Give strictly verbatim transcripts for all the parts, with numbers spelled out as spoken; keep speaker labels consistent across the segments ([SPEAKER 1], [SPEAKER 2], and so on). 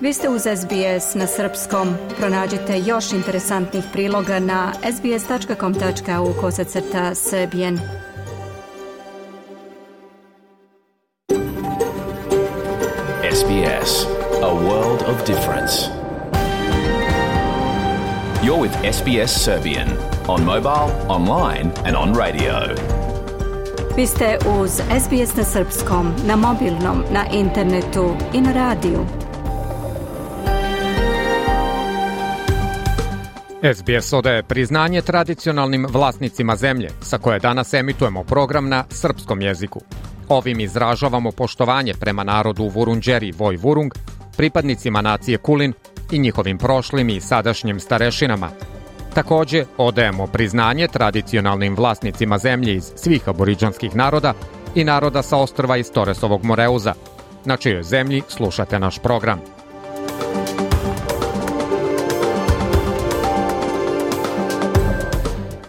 [SPEAKER 1] Vi ste uz S B S na srpskom. Pronađite još interesantnih priloga na sbs.com.au kosacrta srbijen.
[SPEAKER 2] S B S, a world of difference. You're with S B S Serbian on mobile, online and on radio.
[SPEAKER 1] Vi ste uz S B S na srpskom, na mobilnom, na internetu i na radiju.
[SPEAKER 3] S B S odaje priznanje tradicionalnim vlasnicima zemlje, sa koje danas emitujemo program na srpskom jeziku. Ovim izražavamo poštovanje prema narodu Vurundjeri Voj Vurung, pripadnicima nacije Kulin i njihovim prošlim i sadašnjim starešinama. Takođe, odajemo priznanje tradicionalnim vlasnicima zemlje iz svih aboriđanskih naroda i naroda sa ostrva iz Toresovog Moreuza, na čijoj zemlji slušate naš program.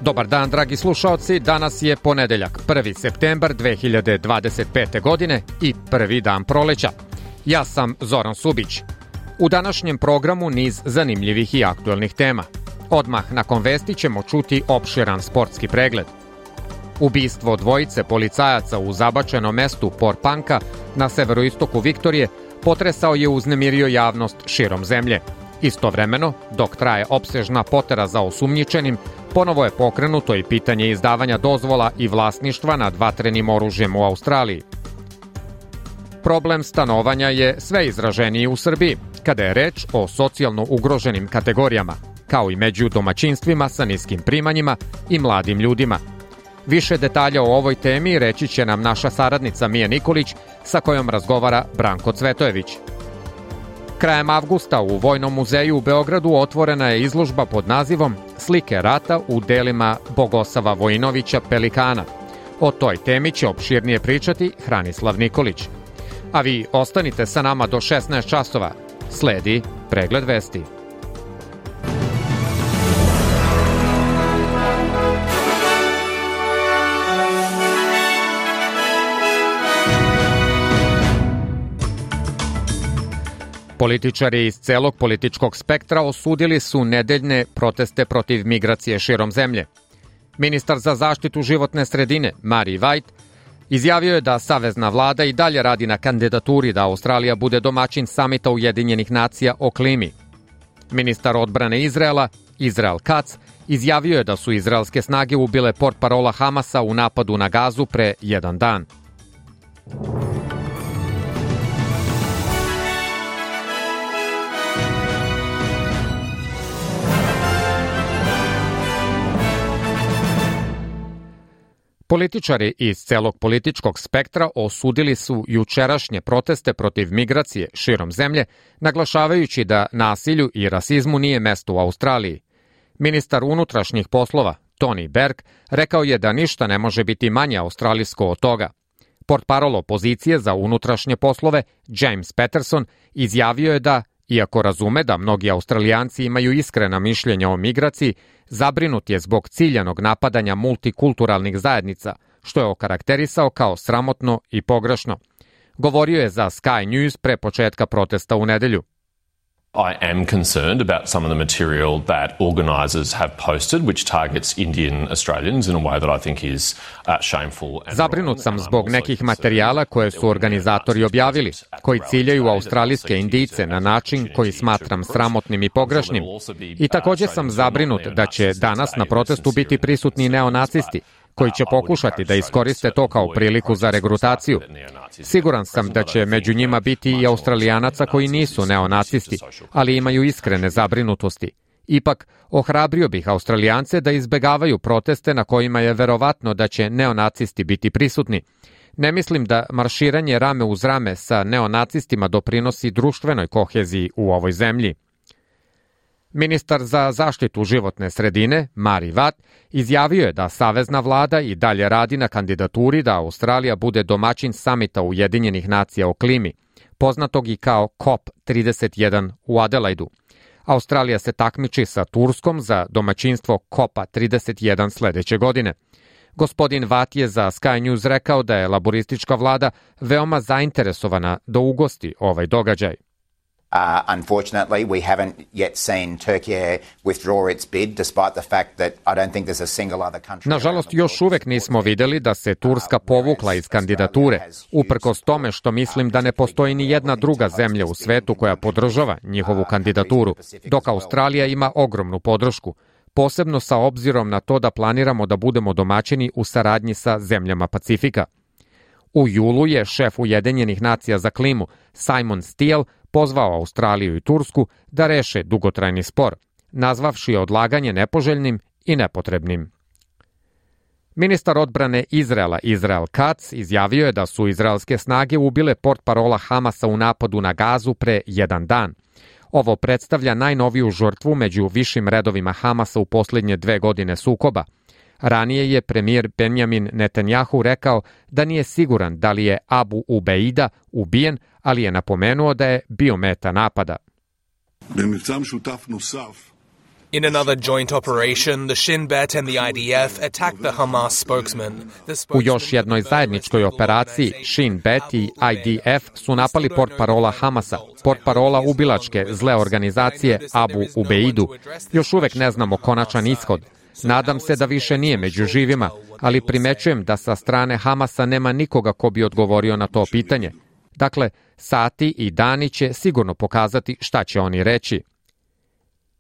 [SPEAKER 3] Dobar dan, dragi slušaoci, danas je ponedeljak, prvi septembar dve hiljade dvadeset pete. godine i prvi dan proleća. Ja sam Zoran Subić. U današnjem programu niz zanimljivih i aktuelnih tema. Odmah nakon vesti ćemo čuti opširan sportski pregled. Ubistvo dvojice policajaca u zabačenom mestu Porpanka na severoistoku Viktorije potresao je uznemirio javnost širom zemlje. Istovremeno, dok traje opsežna potera za osumnjičenim, ponovo je pokrenuto i pitanje izdavanja dozvola i vlasništva nad vatrenim oružjem u Australiji. Problem stanovanja je sve izraženiji u Srbiji, kada je reč o socijalno ugroženim kategorijama, kao i među domaćinstvima sa niskim primanjima i mladim ljudima. Više detalja o ovoj temi reći će nam naša saradnica Mija Nikolić, sa kojom razgovara Branko Cvetojević. Krajem avgusta u Vojnom muzeju u Beogradu otvorena je izložba pod nazivom Slike rata u delima Bogosava Vojinovića Pelikana. O toj temi će opširnije pričati Hranislav Nikolić. A vi ostanite sa nama do šesnaest časova. Sledi pregled vesti. Političari iz celog političkog spektra osudili su nedeljne proteste protiv migracije širom zemlje. Ministar za zaštitu životne sredine, Mari White, izjavio je da savezna vlada i dalje radi na kandidaturi da Australija bude domaćin samita Ujedinjenih nacija o klimi. Ministar odbrane Izraela, Izrael Katz, izjavio je da su izraelske snage ubile portparola Hamasa u napadu na Gazu pre jedan dan. Političari iz celog političkog spektra osudili su jučerašnje proteste protiv migracije širom zemlje, naglašavajući da nasilju i rasizmu nije mesto u Australiji. Ministar unutrašnjih poslova, Tony Berg, rekao je da ništa ne može biti manje australijsko od toga. Portparol opozicije za unutrašnje poslove, James Patterson, izjavio je da, iako razume da mnogi Australijanci imaju iskrena mišljenja o migraciji, zabrinut je zbog ciljanog napadanja multikulturalnih zajednica, što je okarakterisao kao sramotno i pogrešno. Govorio je za Sky News pre početka protesta u nedelju.
[SPEAKER 4] I am concerned about some of the material that organisers have posted, which targets Indian Australians in a way that I think is uh, shameful.
[SPEAKER 3] Zabrinut sam zbog nekih materijala koje su organizatori objavili, koji ciljaju australijske Indijce na način koji smatram sramotnim i pogrešnim. I također sam zabrinut da će danas na protestu biti prisutni neonacisti, koji će pokušati da iskoriste to kao priliku za regrutaciju. Siguran sam da će među njima biti i Australijanaca koji nisu neonacisti, ali imaju iskrene zabrinutosti. Ipak, ohrabrio bih Australijance da izbegavaju proteste na kojima je verovatno da će neonacisti biti prisutni. Ne mislim da marširanje rame uz rame sa neonacistima doprinosi društvenoj koheziji u ovoj zemlji. Ministar za zaštitu životne sredine, Mari Watt, izjavio je da savezna vlada i dalje radi na kandidaturi da Australija bude domaćin samita Ujedinjenih nacija o klimi, poznatog i kao C O P trideset jedan u Adelaidu. Australija se takmiči sa Turskom za domaćinstvo C O P-a trideset jedan sledeće godine. Gospodin Watt je za Sky News rekao da je laboristička vlada veoma zainteresovana da ugosti ovaj događaj.
[SPEAKER 5] Uh, unfortunately, we haven't yet seen Turkey withdraw its bid, despite the fact that I don't think there's a single other country.
[SPEAKER 3] Nažalost, još uvek nismo videli da se Turska povukla iz kandidature, uprkos tome što mislim da ne postoji ni jedna druga zemlja u svetu koja podržava njihovu kandidaturu, dok Australija ima ogromnu podršku, posebno sa obzirom na to da planiramo da budemo domaćini u saradnji sa zemljama Pacifika. U julu je šef Ujedinjenih nacija za klimu Simon Steele pozvao Australiju i Tursku da reše dugotrajni spor, nazvavši odlaganje nepoželjnim i nepotrebnim. Ministar odbrane Izraela Israel Katz izjavio je da su izraelske snage ubile portparola Hamasa u napadu na Gazu pre jedan dan. Ovo predstavlja najnoviju žrtvu među višim redovima Hamasa u posljednje dve godine sukoba. Ranije je premijer Benjamin Netanjahu rekao da nije siguran da li je Abu Ubeida ubijen, ali je napomenuo da je bio meta napada.
[SPEAKER 6] In another joint operation, the Shin Bet and the I D F attacked the Hamas spokesman.
[SPEAKER 3] U još jednoj zajedničkoj operaciji Shin Bet i I D F su napali portparola Hamasa, portparola ubilačke zle organizacije Abu Ubeidu. Još uvek ne znamo konačan ishod. Nadam se da više nije među živima, ali primećujem da sa strane Hamasa nema nikoga ko bi odgovorio na to pitanje. Dakle, sati i dani će sigurno pokazati šta će oni reći.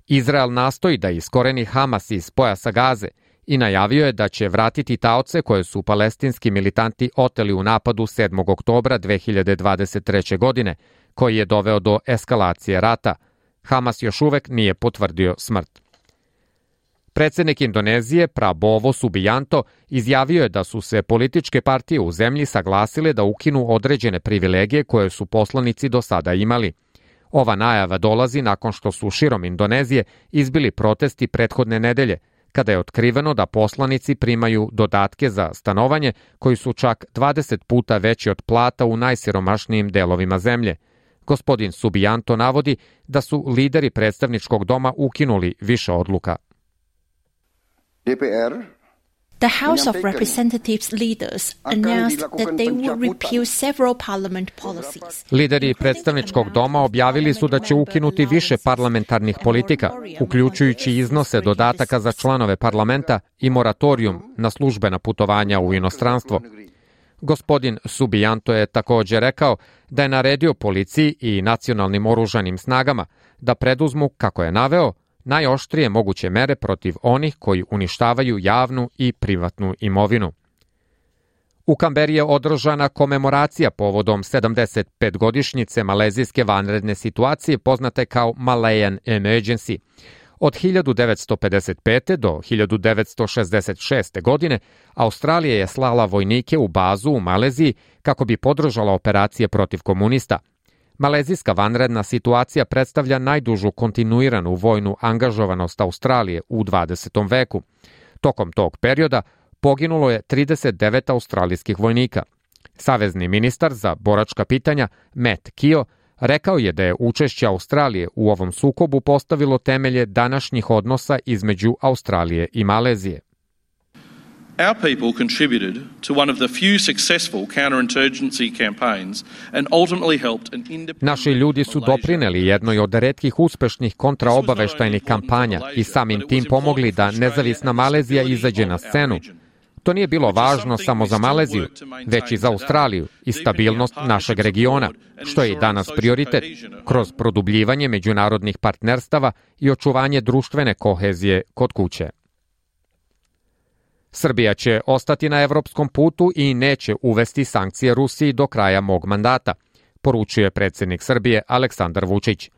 [SPEAKER 3] Izrael nastoji da iskoreni Hamas iz pojasa Gaze i najavio je da će vratiti taoce koje su palestinski militanti oteli u napadu sedmog oktobra dve hiljade dvadeset treće. godine, koji je doveo do eskalacije rata. Hamas još uvek nije potvrdio smrt. Predsjednik Indonezije Prabowo Subianto izjavio je da su se političke partije u zemlji saglasile da ukinu određene privilegije koje su poslanici do sada imali. Ova najava dolazi nakon što su širom Indonezije izbili protesti prethodne nedelje, kada je otkriveno da poslanici primaju dodatke za stanovanje koji su čak dvadeset puta veći od plata u najsiromašnijim delovima zemlje. Gospodin Subianto navodi da su lideri predstavničkog doma ukinuli više odluka.
[SPEAKER 7] The House of Representatives leaders announced that they will repeal several parliament policies.
[SPEAKER 3] Lideri predstavničkog doma objavili su da će ukinuti više parlamentarnih politika, uključujući iznose dodataka za članove parlamenta i moratorijum na službena putovanja u inostranstvo. Gospodin Subianto je također rekao da je naredio policiji i nacionalnim oružanim snagama da preduzmu, kako je naveo, najoštrije moguće mere protiv onih koji uništavaju javnu i privatnu imovinu. U Kamberi je održana komemoracija povodom sedamdeset pet godišnjice malezijske vanredne situacije poznate kao Malayan Emergency. Od hiljadu devetsto pedeset pete. do hiljadu devetsto šezdeset šeste. godine Australija je slala vojnike u bazu u Maleziji kako bi podržala operacije protiv komunista. Malezijska vanredna situacija predstavlja najdužu kontinuiranu vojnu angažovanost Australije u dvadesetom veku. Tokom tog perioda poginulo je trideset devet australijskih vojnika. Savezni ministar za boračka pitanja Matt Keogh rekao je da je učešće Australije u ovom sukobu postavilo temelje današnjih odnosa između Australije i Malezije.
[SPEAKER 8] Our people contributed to one of the few successful counterinsurgency campaigns and ultimately helped an independent
[SPEAKER 3] Naši ljudi su doprineli jednoj od retkih uspešnih kontraobaveštajnih kampanja i samim tim pomogli da nezavisna Malezija izađe na scenu. To nije bilo važno samo za Maleziju, već i za Australiju i stabilnost našeg regiona, što je i danas prioritet, kroz produbljivanje međunarodnih partnerstava i očuvanje društvene kohezije kod kuće. Srbija će ostati na evropskom putu i neće uvesti sankcije Rusiji do kraja mog mandata, poručuje predsjednik Srbije Aleksandar Vučić.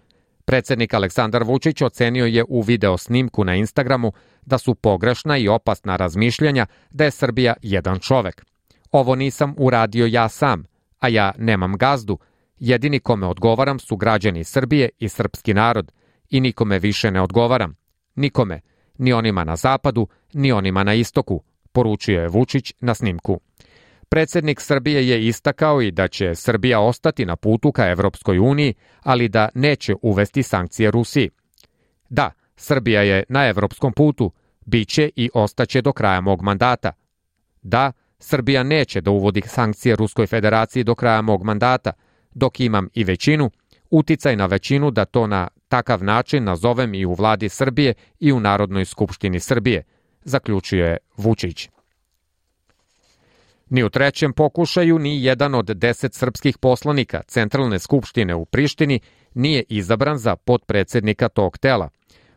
[SPEAKER 3] Predsjednik Aleksandar Vučić ocenio je u video snimku na Instagramu da su pogrešna i opasna razmišljanja da je Srbija jedan čovek. Ovo nisam uradio ja sam, a ja nemam gazdu. Jedini kome odgovaram su građani Srbije i srpski narod i nikome više ne odgovaram. Nikome, ni onima na zapadu, ni onima na istoku, poručio je Vučić na snimku. Predsjednik Srbije je istakao i da će Srbija ostati na putu ka Evropskoj uniji, ali da neće uvesti sankcije Rusiji. Da, Srbija je na evropskom putu, bit će i ostaće do kraja mog mandata. Da, Srbija neće da uvodi sankcije Ruskoj federaciji do kraja mog mandata, dok imam i većinu, uticaj na većinu da to na takav način nazovem i u vladi Srbije i u Narodnoj skupštini Srbije, zaključio je Vučić. Ni u trećem pokušaju ni jedan od deset srpskih poslanika Centralne skupštine u Prištini nije izabran za potpredsednika tog tela.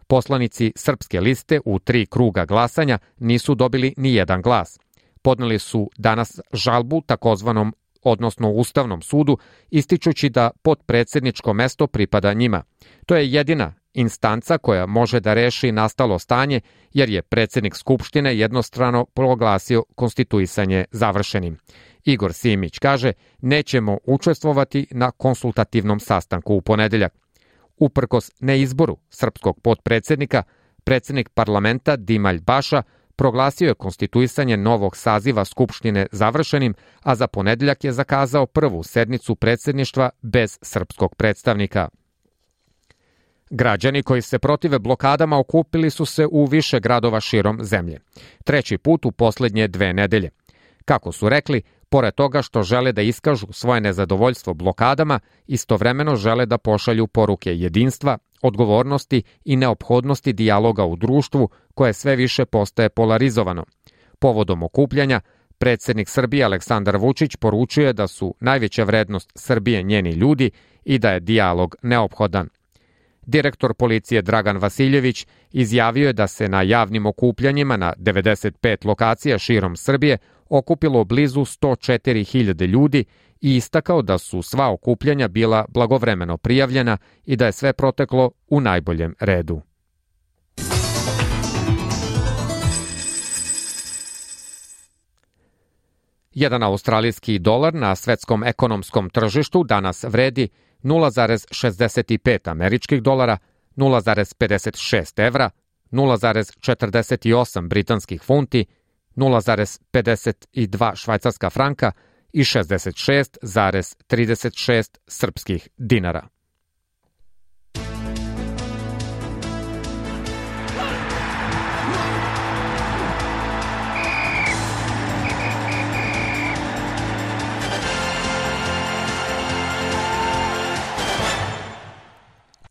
[SPEAKER 3] Poslanici Srpske liste u tri kruga glasanja nisu dobili ni jedan glas. Podneli su danas žalbu takozvanom, odnosno Ustavnom sudu, ističući da potpredsedničko mesto pripada njima. To je jedina instanca koja može da reši nastalo stanje, jer je predsednik Skupštine jednostrano proglasio konstituisanje završenim. Igor Simić kaže, nećemo učestvovati na konsultativnom sastanku u ponedeljak. Uprkos neizboru srpskog potpredsednika, predsednik parlamenta Dimalj Baša proglasio je konstituisanje novog saziva Skupštine završenim, a za ponedeljak je zakazao prvu sednicu predsedništva bez srpskog predstavnika. Građani koji se protive blokadama okupili su se u više gradova širom zemlje. Treći put u poslednje dve nedelje. Kako su rekli, pored toga što žele da iskažu svoje nezadovoljstvo blokadama, istovremeno žele da pošalju poruke jedinstva, odgovornosti i neophodnosti dijaloga u društvu koje sve više postaje polarizovano. Povodom okupljanja, predsednik Srbije Aleksandar Vučić poručuje da su najveća vrednost Srbije njeni ljudi i da je dijalog neophodan. Direktor policije Dragan Vasiljević izjavio je da se na javnim okupljanjima na devedeset pet lokacija širom Srbije okupilo blizu sto četiri hiljade ljudi i istakao da su sva okupljanja bila blagovremeno prijavljena i da je sve proteklo u najboljem redu. Jedan australijski dolar na svetskom ekonomskom tržištu danas vredi nula zarez šezdeset pet američkih dolara, nula zarez pedeset šest evra, nula zarez četrdeset osam britanskih funti, nula zarez pedeset dva švajcarska franka i šezdeset šest zarez trideset šest srpskih dinara.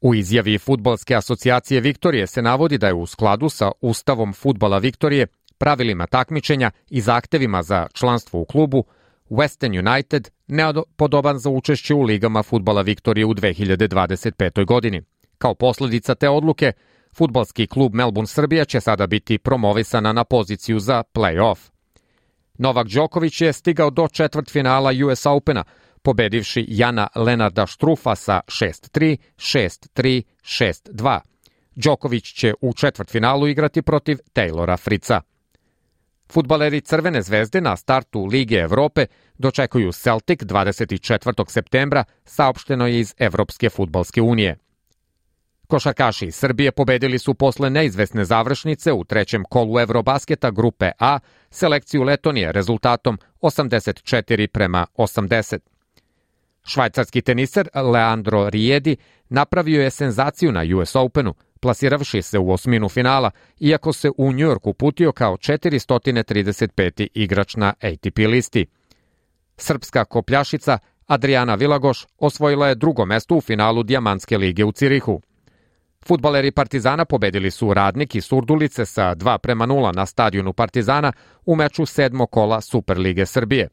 [SPEAKER 3] U izjavi Fudbalske asocijacije Viktorije se navodi da je u skladu sa Ustavom fudbala Viktorije, pravilima takmičenja i zahtevima za članstvo u klubu, Western United nepodoban za učešće u ligama fudbala Viktorije u dve hiljade dvadeset petoj godini. Kao posledica te odluke, fudbalski klub Melbourne Srbija će sada biti promovisana na poziciju za play-off. Novak Đoković je stigao do četvrtfinala U S Opena, pobedivši Jana Lenarda Štrufa sa šest tri, šest tri, šest dva. Đoković će u četvrtfinalu igrati protiv Taylora Fritza. Fudbaleri Crvene zvezde na startu Lige Evrope dočekuju Celtic dvadeset četvrtog septembra, saopšteno je iz Evropske fudbalske unije. Košarkaši iz Srbije pobedili su posle neizvesne završnice u trećem kolu Evrobasketa grupe A selekciju Letonije rezultatom osamdeset četiri prema osamdeset. Švajcarski teniser Leandro Riedi napravio je senzaciju na U S Openu, plasiravši se u osminu finala, iako se u Njujorku uputio kao četiristo trideset peti igrač na A T P listi. Srpska kopljašica Adriana Vilagoš osvojila je drugo mesto u finalu Dijamantske lige u Cirihu. Fudbaleri Partizana pobedili su Radnik i Surdulice sa dva prema nula na stadionu Partizana u meču sedmog kola Superlige Srbije.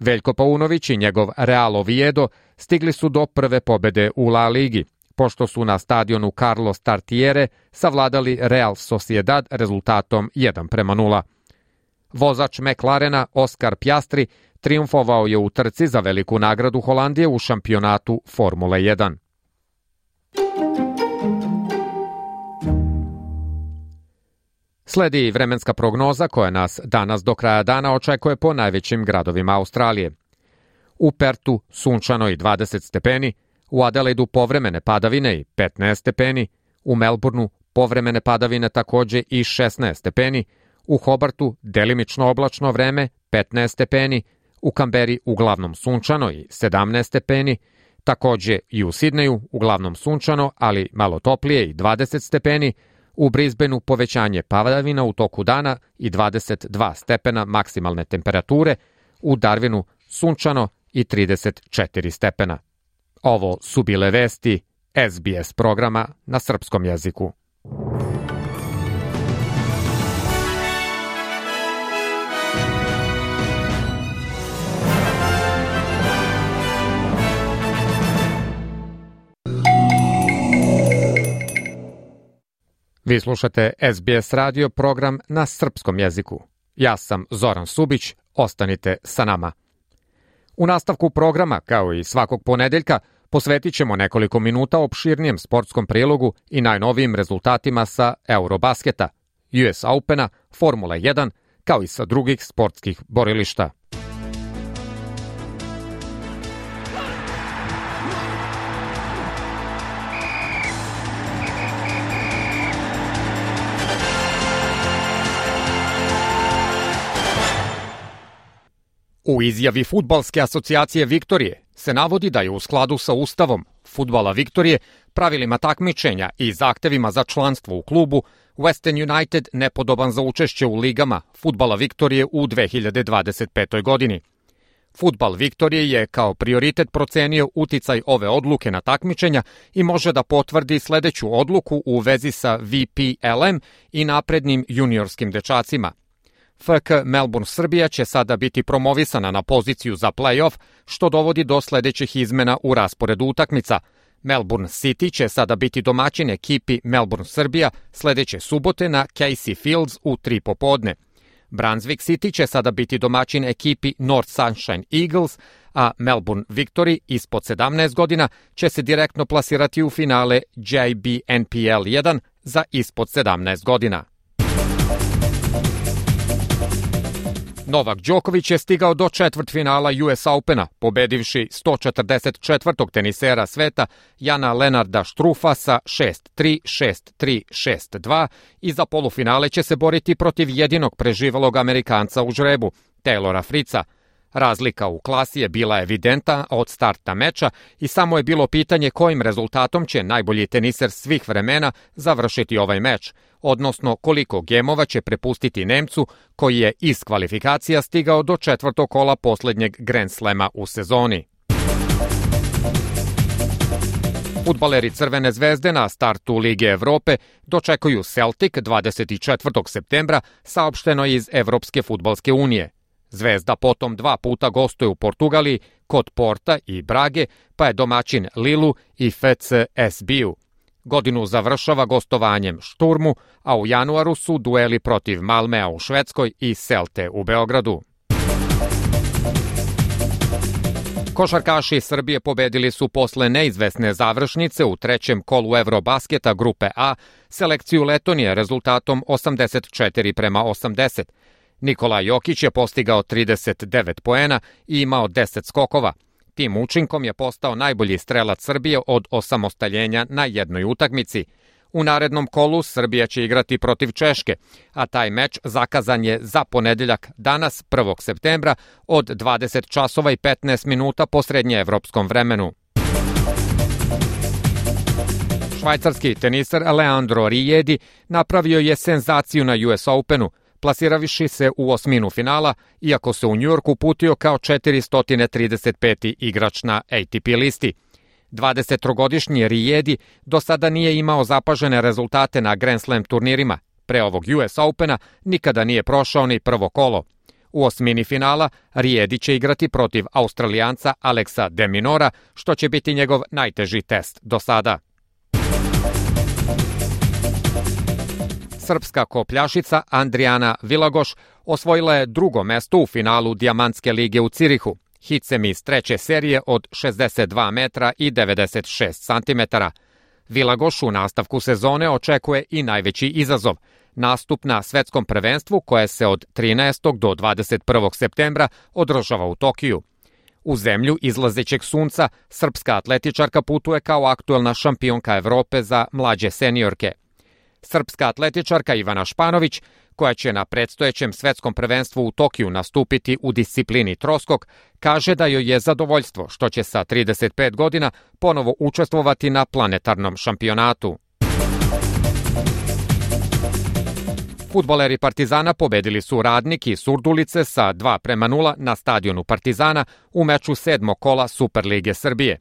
[SPEAKER 3] Veljko Paunović i njegov Real Oviedo stigli su do prve pobede u La Ligi, pošto su na stadionu Carlos Tartiere savladali Real Sociedad rezultatom jedan prema nula. Vozač McLarena Oskar Pjastri triumfovao je u trci za veliku nagradu Holandije u šampionatu Formule jedan. Sledi vremenska prognoza koja nas danas do kraja dana očekuje po najvećim gradovima Australije. U Pertu sunčano i dvadeset stepeni, u Adelaidu povremene padavine i petnaest stepeni, u Melbourneu povremene padavine takođe i šesnaest stepeni, u Hobartu delimično oblačno vreme petnaest stepeni, u Kamberi uglavnom sunčano i sedamnaest stepeni, takođe i u Sidneju uglavnom sunčano, ali malo toplije i dvadeset stepeni, u Brisbaneu povećanje padavina u toku dana i dvadeset dva stepena maksimalne temperature, u Darwinu sunčano i trideset četiri stepena. Ovo su bile vesti S B S programa na srpskom jeziku. Vi slušate S B S radio program na srpskom jeziku. Ja sam Zoran Subić, ostanite sa nama. U nastavku programa, kao i svakog ponedeljka, posvetit ćemo nekoliko minuta opširnijem sportskom prilogu i najnovijim rezultatima sa Eurobasketa, U S Opena, Formule jedan, kao i sa drugih sportskih borilišta. U izjavi Fudbalske asocijacije Viktorije se navodi da je u skladu sa Ustavom Fudbala Viktorije, pravilima takmičenja i zahtevima za članstvo u klubu, Western United nepodoban za učešće u ligama Fudbala Viktorije u dve hiljade dvadeset petoj. godini. Fudbal Viktorije je kao prioritet procenio uticaj ove odluke na takmičenja i može da potvrdi sledeću odluku u vezi sa V P L M i naprednim juniorskim dečacima. F K Melbourne Srbija će sada biti promovisana na poziciju za play-off, što dovodi do sledećih izmena u rasporedu utakmica. Melbourne City će sada biti domaćin ekipi Melbourne Srbija sledeće subote na Casey Fields u tri popodne. Brunswick City će sada biti domaćin ekipi North Sunshine Eagles, a Melbourne Victory ispod sedamnaest godina će se direktno plasirati u finale J B N P L jedan za ispod sedamnaest godina. Novak Đoković je stigao do četvrtfinala U S Opena, pobedivši sto četrdeset četvrtog tenisera sveta Jana Lenarda Štrufa sa šest tri, šest tri, šest dva i za polufinale će se boriti protiv jedinog preživelog Amerikanca u žrebu, Taylora Fritza. Razlika u klasi je bila evidentna od starta meča i samo je bilo pitanje kojim rezultatom će najbolji teniser svih vremena završiti ovaj meč, odnosno koliko gemova će prepustiti Nemcu koji je iz kvalifikacija stigao do četvrtog kola poslednjeg Grand Slema u sezoni. Fudbaleri Crvene zvezde na startu Lige Evrope dočekuju Celtic dvadeset četvrtog septembra, saopšteno iz Evropske fudbalske unije. Zvezda potom dva puta gostuje u Portugaliji kod Porta i Brage, pa je domaćin Lilu i F C S B-u. Godinu završava gostovanjem Šturmu, a u januaru su dueli protiv Malmea u Švedskoj i Celte u Beogradu. Košarkaši Srbije pobedili su posle neizvesne završnice u trećem kolu Eurobasketa grupe A selekciju Letonije rezultatom osamdeset četiri prema osamdeset. Nikola Jokić je postigao trideset devet poena i imao deset skokova. Tim učinkom je postao najbolji strelac Srbije od osamostaljenja na jednoj utakmici. U narednom kolu Srbija će igrati protiv Češke, a taj meč zakazan je za ponedeljak danas prvog septembra od dvadeset časova i petnaest minuta po srednjeevropskom vremenu. Švajcarski teniser Leandro Riedi napravio je senzaciju na U S Openu, plasiraviši se u osminu finala, iako se u Njujorku uputio kao četiristo trideset peti igrač na A T P listi. dvadesettrogodišnji Riedi do sada nije imao zapažene rezultate na Grand Slam turnirima. Pre ovog U S Opena nikada nije prošao ni prvo kolo. U osmini finala Riedi će igrati protiv Australijanca Alexa de Minora, što će biti njegov najteži test do sada. Srpska kopljašica Andrijana Vilagoš osvojila je drugo mesto u finalu Dijamantske lige u Cirihu, hitsem iz treće serije od šezdeset dva metra i devedeset šest santimetara. Vilagoš u nastavku sezone očekuje i najveći izazov, nastup na svetskom prvenstvu koje se od trinaestog do dvadeset prvog septembra održava u Tokiju. U zemlju izlazećeg sunca srpska atletičarka putuje kao aktuelna šampionka Evrope za mlađe seniorke. Srpska atletičarka Ivana Španović, koja će na predstojećem svetskom prvenstvu u Tokiju nastupiti u disciplini troskok, kaže da joj je zadovoljstvo što će sa trideset pet godina ponovo učestvovati na planetarnom šampionatu. Fudbaleri Partizana pobedili su Radnik i Surdulice sa dva prema nula na stadionu Partizana u meču sedmog kola Superlige Srbije.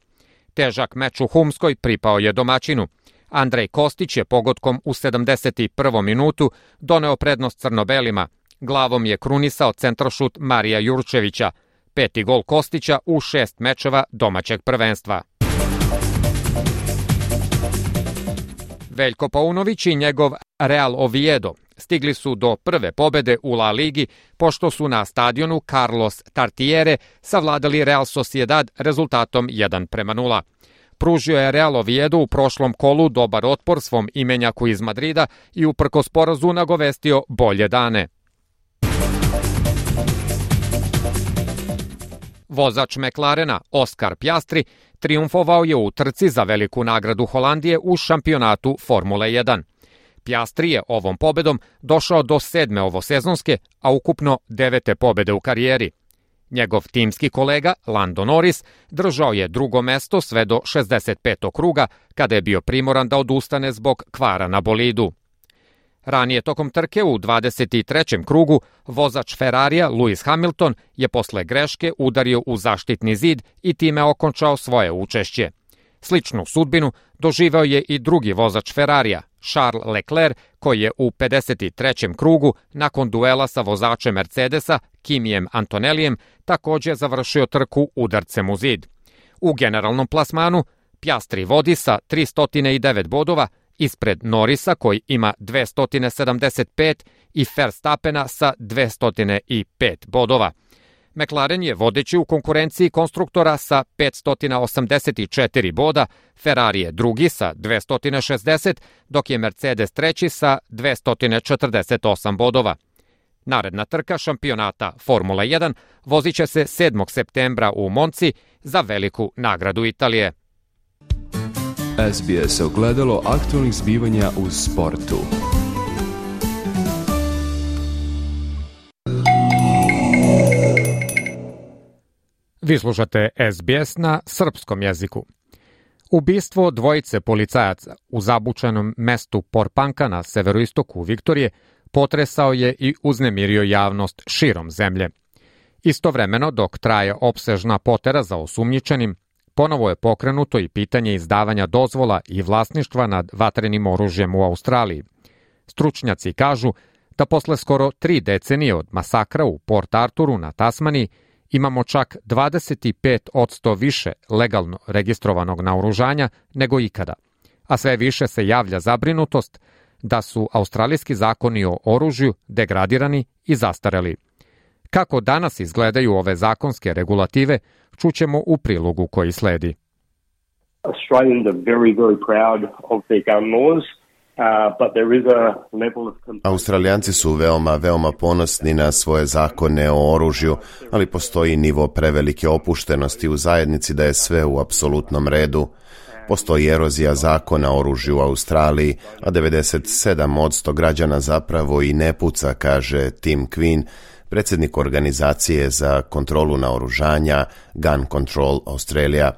[SPEAKER 3] Težak meč u Humskoj pripao je domaćinu. Andrej Kostić je pogodkom u sedamdeset prvom minutu doneo prednost crno-belima. Glavom je krunisao centrošut Marija Jurčevića. Peti gol Kostića u šest mečeva domaćeg prvenstva. Veljko Paunović i njegov Real Oviedo stigli su do prve pobede u La Ligi, pošto su na stadionu Carlos Tartiere savladali Real Sociedad rezultatom jedan prema nula. Pružio je Real Oviedo u prošlom kolu dobar otpor svom imenjaku iz Madrida i uprkos porazu nagovestio bolje dane. Vozač McLarena Oscar Piastri triumfovao je u trci za veliku nagradu Holandije u šampionatu Formule jedan. Piastri je ovom pobedom došao do sedme ovosezonske, a ukupno devete pobede u karijeri. Njegov timski kolega Lando Norris držao je drugo mesto sve do šezdeset petog kruga, kada je bio primoran da odustane zbog kvara na bolidu. Ranije tokom trke u dvadeset trećem krugu vozač Ferrarija Lewis Hamilton je posle greške udario u zaštitni zid i time okončao svoje učešće. Sličnu sudbinu doživeo je i drugi vozač Ferrarija, Charles Leclerc, koji je u pedeset trećem krugu nakon duela sa vozačem Mercedesa Kimijem Antonellijem takođe završio trku udarcem u zid. U generalnom plasmanu Piastri vodi sa tristo devet bodova, ispred Norrisa koji ima dvesta sedamdeset pet i Verstappena sa dvesta pet bodova. McLaren je vodeći u konkurenciji konstruktora sa petsto osamdeset četiri boda, Ferrari je drugi sa dvesta šezdeset, dok je Mercedes treći sa dvesta četrdeset osam bodova. Naredna trka šampionata Formula jedan vozit će se sedmog septembra u Monci za veliku nagradu Italije.
[SPEAKER 9] S B S ogledalo aktualnih zbivanja u sportu.
[SPEAKER 3] Vi slušate S B S na srpskom jeziku. Ubistvo dvojice policajaca u zabučenom mestu Porpanka na severoistoku Viktorije potresao je i uznemirio javnost širom zemlje. Istovremeno, dok traje opsežna potera za osumnjičenim, ponovo je pokrenuto i pitanje izdavanja dozvola i vlasništva nad vatrenim oružjem u Australiji. Stručnjaci kažu da posle skoro tri decenije od masakra u Port Arturu na Tasmaniji imamo čak dvadeset pet posto više legalno registrovanog naoružanja nego ikada, a sve više se javlja zabrinutost da su australijski zakoni o oružju degradirani i zastareli. Kako danas izgledaju ove zakonske regulative, čućemo u prilogu koji sledi.
[SPEAKER 10] Australians are very, very proud of their gun laws.
[SPEAKER 11] Australijanci su veoma, veoma ponosni na svoje zakone o oružju, ali postoji nivo prevelike opuštenosti u zajednici da je sve u apsolutnom redu. Postoji erozija zakona o oružju u Australiji, a devedeset sedam posto građana zapravo i ne puca, kaže Tim Quinn, predsjednik organizacije za kontrolu naoružanja Gun Control Australia.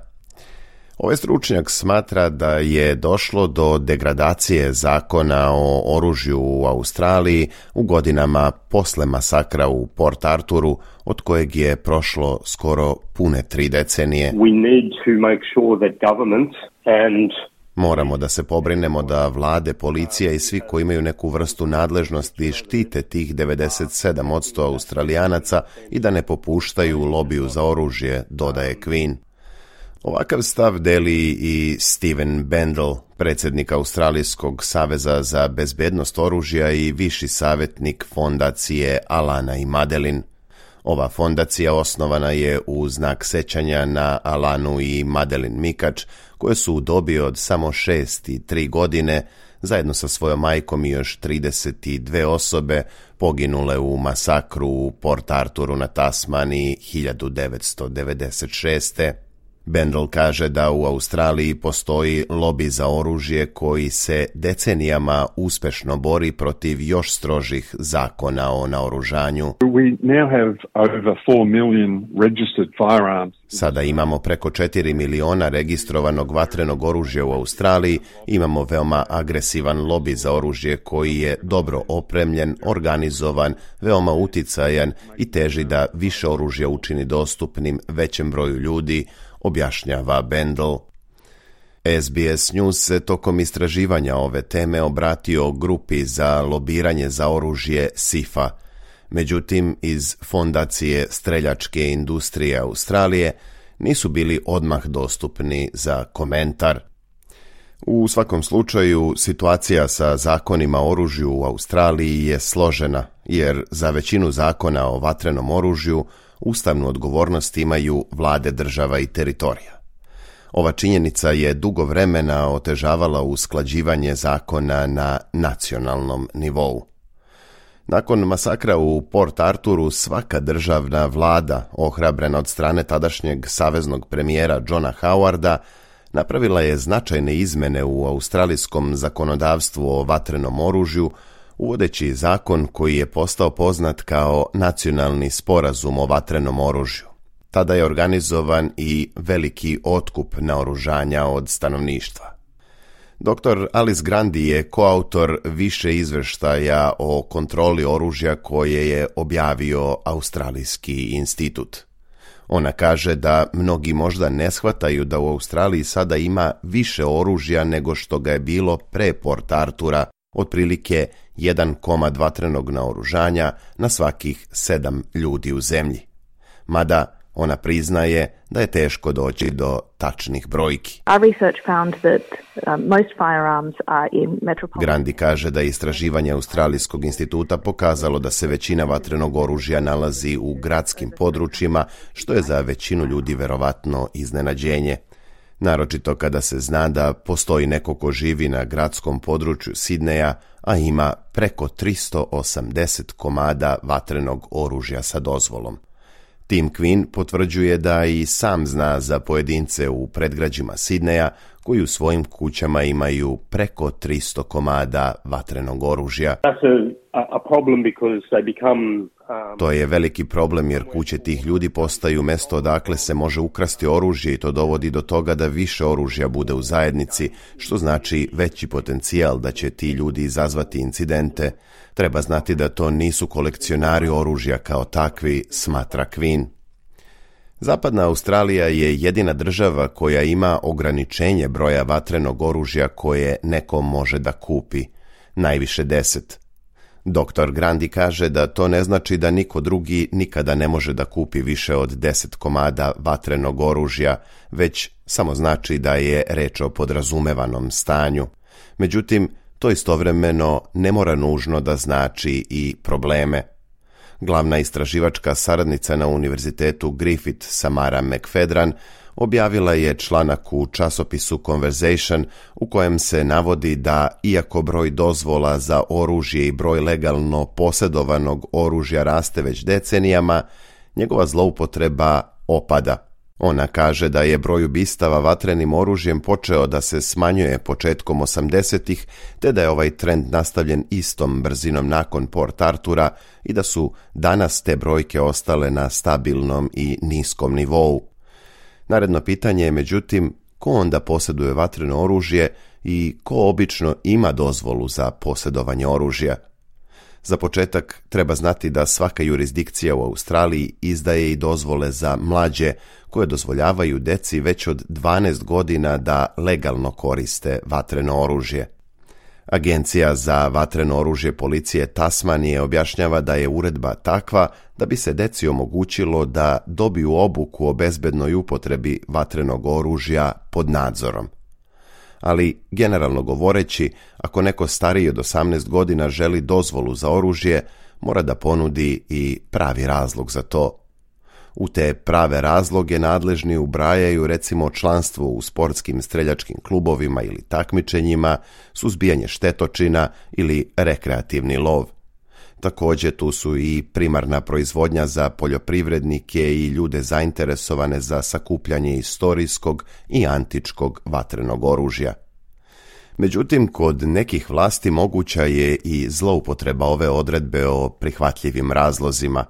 [SPEAKER 11] Ovaj stručnjak smatra da je došlo do degradacije zakona o oružju u Australiji u godinama posle masakra u Port Arturu, od kojeg je prošlo skoro pune tri decenije.
[SPEAKER 10] We need to make sure that governments and
[SPEAKER 11] Moramo da se pobrinemo da vlade, policija i svi koji imaju neku vrstu nadležnosti štite tih devedeset sedam posto Australijanaca i da ne popuštaju lobiju za oružje, dodaje Quinn. Ovakav stav deli i Steven Bendel, predsjednik Australijskog saveza za bezbednost oružja i viši savjetnik fondacije Alana i Madeline. Ova fondacija osnovana je u znak sećanja na Alanu i Madeline Mikač, koje su u dobi od samo šest i tri godine, zajedno sa svojom majkom i još trideset dve osobe, poginule u masakru u Port Arturu na Tasmaniji hiljadu devetsto devedeset šeste. Bendel kaže da u Australiji postoji lobi za oružje koji se decenijama uspešno bori protiv još strožih zakona o naoružanju.
[SPEAKER 12] We now have over four million registered firearms.
[SPEAKER 11] Sada imamo preko četiri miliona registrovanog vatrenog oružja u Australiji, imamo veoma agresivan lobi za oružje koji je dobro opremljen, organizovan, veoma uticajan i teži da više oružja učini dostupnim većem broju ljudi, objašnjava Bendel. S B S News se tokom istraživanja ove teme obratio grupi za lobiranje za oružje S I F A. Međutim, iz Fondacije streljačke industrije Australije nisu bili odmah dostupni za komentar. U svakom slučaju, situacija sa zakonima o oružju u Australiji je složena, jer za većinu zakona o vatrenom oružju ustavnu odgovornost imaju vlade država i teritorija. Ova činjenica je dugo vremena otežavala usklađivanje zakona na nacionalnom nivou. Nakon masakra u Port Arturu, svaka državna vlada, ohrabrena od strane tadašnjeg saveznog premijera Johna Howarda, napravila je značajne izmene u australijskom zakonodavstvu o vatrenom oružju, uvodeći zakon koji je postao poznat kao Nacionalni sporazum o vatrenom oružju. Tada je organizovan i veliki otkup naoružanja od stanovništva. doktor Alice Grandi je koautor više izveštaja o kontroli oružja koje je objavio Australijski institut. Ona kaže da mnogi možda ne shvataju da u Australiji sada ima više oružja nego što ga je bilo pre Port Artura, otprilike jedan komad vatrenog naoružanja na svakih sedam ljudi u zemlji. Mada ona priznaje da je teško doći do tačnih brojki. Grandi kaže da je istraživanje Australijskog instituta pokazalo da se većina vatrenog oružja nalazi u gradskim područjima, što je za većinu ljudi verovatno iznenađenje. Naročito kada se zna da postoji neko ko živi na gradskom području Sidneja, a ima preko tristo osamdeset komada vatrenog oružja sa dozvolom. Tim Quinn potvrđuje da i sam zna za pojedince u predgrađima Sidneja koji u svojim kućama imaju preko tristo komada vatrenog oružja. To je veliki problem jer kuće tih ljudi postaju mesto odakle se može ukrasti oružje i to dovodi do toga da više oružja bude u zajednici, što znači veći potencijal da će ti ljudi izazvati incidente. Treba znati da to nisu kolekcionari oružja kao takvi, smatra Quinn. Zapadna Australija je jedina država koja ima ograničenje broja vatrenog oružja koje neko može da kupi, najviše deset. doktor Grandi kaže da to ne znači da niko drugi nikada ne može da kupi više od deset komada vatrenog oružja, već samo znači da je reč o podrazumevanom stanju. Međutim, to istovremeno ne mora nužno da znači i probleme. Glavna istraživačka saradnica na Univerzitetu Griffith Samara McFedran objavila je članak u časopisu Conversation u kojem se navodi da, iako broj dozvola za oružje i broj legalno posjedovanog oružja raste već decenijama, njegova zloupotreba opada. Ona kaže da je broj ubistava vatrenim oružjem počeo da se smanjuje početkom osamdesetih, te da je ovaj trend nastavljen istom brzinom nakon Port Artura i da su danas te brojke ostale na stabilnom i niskom nivou. Naredno pitanje je, međutim, ko onda posjeduje vatreno oružje i ko obično ima dozvolu za posjedovanje oružja? Za početak treba znati da svaka jurisdikcija u Australiji izdaje i dozvole za mlađe koje dozvoljavaju deci već od dvanaest godina da legalno koriste vatreno oružje. Agencija za vatreno oružje policije Tasmanije objašnjava da je uredba takva da bi se deci omogućilo da dobiju obuku o bezbednoj upotrebi vatrenog oružja pod nadzorom. Ali, generalno govoreći, ako neko stariji od osamnaest godina želi dozvolu za oružje, mora da ponudi i pravi razlog za to. U te prave razloge nadležni ubrajaju recimo članstvo u sportskim streljačkim klubovima ili takmičenjima, suzbijanje štetočina ili rekreativni lov. Također tu su i primarna proizvodnja za poljoprivrednike i ljude zainteresovane za sakupljanje istorijskog i antičkog vatrenog oružja. Međutim, kod nekih vlasti moguća je i zloupotreba ove odredbe o prihvatljivim razlozima.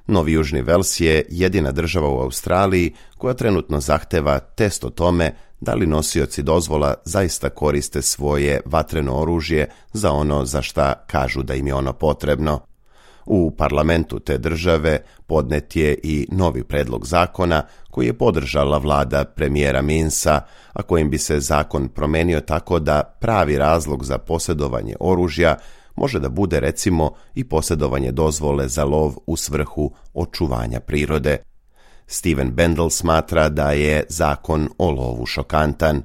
[SPEAKER 11] Novi Južni Vels je jedina država u Australiji koja trenutno zahteva test o tome da li nosioci dozvola zaista koriste svoje vatreno oružje za ono za šta kažu da im je ono potrebno. U parlamentu te države podnet je i novi predlog zakona koji je podržala vlada premijera Minsa, a kojim bi se zakon promenio tako da pravi razlog za posjedovanje oružja može da bude recimo i posjedovanje dozvole za lov u svrhu očuvanja prirode. Steven Bendel smatra da je zakon o lovu šokantan.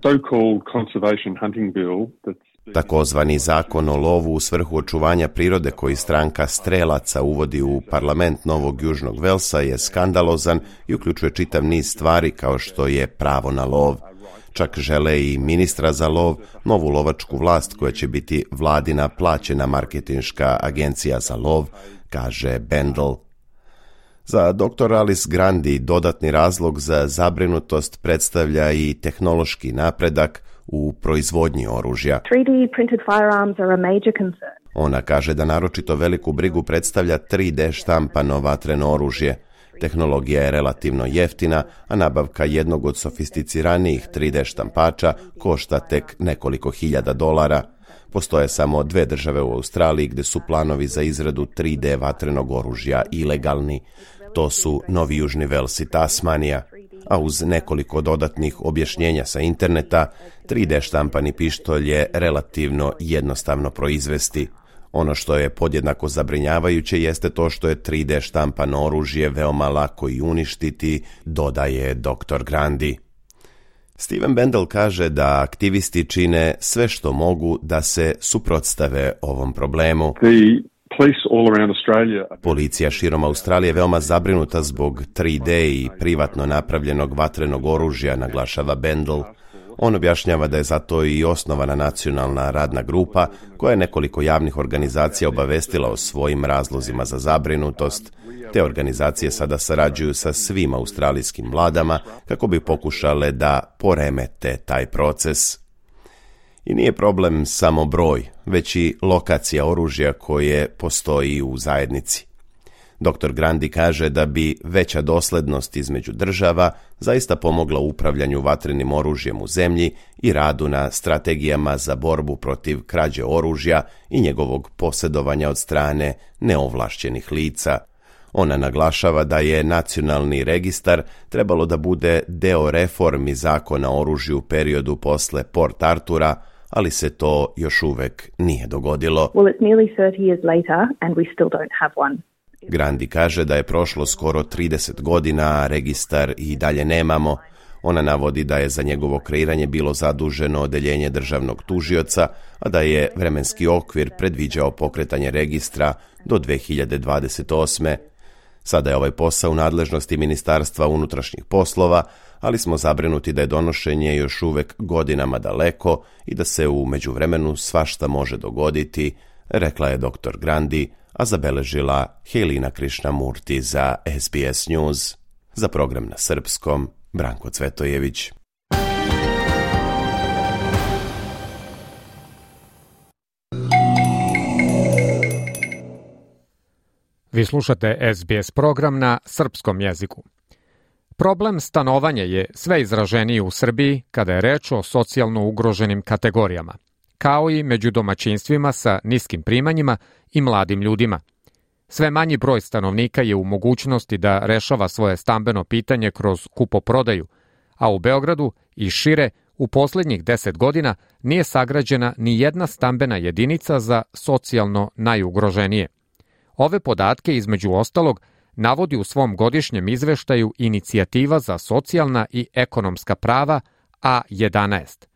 [SPEAKER 11] Takozvani zakon o lovu u svrhu očuvanja prirode koji stranka strelaca uvodi u parlament Novog Južnog Velsa je skandalozan i uključuje čitav niz stvari kao što je pravo na lov. Čak žele i ministra za lov, novu lovačku vlast koja će biti vladina plaćena marketinška agencija za lov, kaže Bendel. Za doktor Alice Grandi dodatni razlog za zabrinutost predstavlja i tehnološki napredak u proizvodnji oružja.
[SPEAKER 13] three D printed firearms are a major concern.
[SPEAKER 11] Ona kaže da naročito veliku brigu predstavlja tri D štampano vatreno oružje. Tehnologija je relativno jeftina, a nabavka jednog od sofisticiranijih tri D štampača košta tek nekoliko hiljada dolara. Postoje samo dve države u Australiji gdje su planovi za izradu tri D vatrenog oružja ilegalni. To su Novi Južni Vels i Tasmanija, a uz nekoliko dodatnih objašnjenja sa interneta, tri D štampani pištolj je relativno jednostavno proizvesti. Ono što je podjednako zabrinjavajuće jeste to što je tri D štampano oružje veoma lako i uništiti, dodaje doktor Grandi. Steven Bendel kaže da aktivisti čine sve što mogu da se suprotstave ovom problemu. Policija širom Australije je veoma zabrinuta zbog tri D i privatno napravljenog vatrenog oružja, naglašava Bendel. On objašnjava da je zato i osnovana nacionalna radna grupa koja je nekoliko javnih organizacija obavestila o svojim razlozima za zabrinutost. Te organizacije sada sarađuju sa svim australijskim vladama kako bi pokušale da poremete taj proces. I nije problem samo broj, već i lokacija oružja koje postoji u zajednici. doktor Grandi kaže da bi veća doslednost između država zaista pomogla u upravljanju vatrenim oružjem u zemlji i radu na strategijama za borbu protiv krađe oružja i njegovog posjedovanja od strane neovlašćenih lica. Ona naglašava da je nacionalni registar trebalo da bude deo reformi zakona o oružju u periodu posle Port Artura, ali se to još uvek nije dogodilo.
[SPEAKER 13] Well, it's nearly thirty years later and we still don't have one.
[SPEAKER 11] Grandi kaže da je prošlo skoro trideset godina, a registar i dalje nemamo. Ona navodi da je za njegovo kreiranje bilo zaduženo odeljenje državnog tužioca, a da je vremenski okvir predviđao pokretanje registra do dve hiljade dvadeset osme. Sada je ovaj posao u nadležnosti Ministarstva unutrašnjih poslova, ali smo zabrinuti da je donošenje još uvek godinama daleko i da se u međuvremenu svašta može dogoditi, rekla je doktor Grandi, a zabeležila Helina Krišnamurti za S B S News. Za program na srpskom, Branko Cvetojević.
[SPEAKER 3] Vi slušate S B S program na srpskom jeziku. Problem stanovanja je sve izraženiji u Srbiji kada je reč o socijalno ugroženim kategorijama, kao i među domaćinstvima sa niskim primanjima i mladim ljudima. Sve manji broj stanovnika je u mogućnosti da rešava svoje stambeno pitanje kroz kupoprodaju, a u Beogradu i šire u posljednjih deset godina nije sagrađena ni jedna stambena jedinica za socijalno najugroženije. Ove podatke, između ostalog, navodi u svom godišnjem izveštaju Inicijativa za socijalna i ekonomska prava A jedanaest.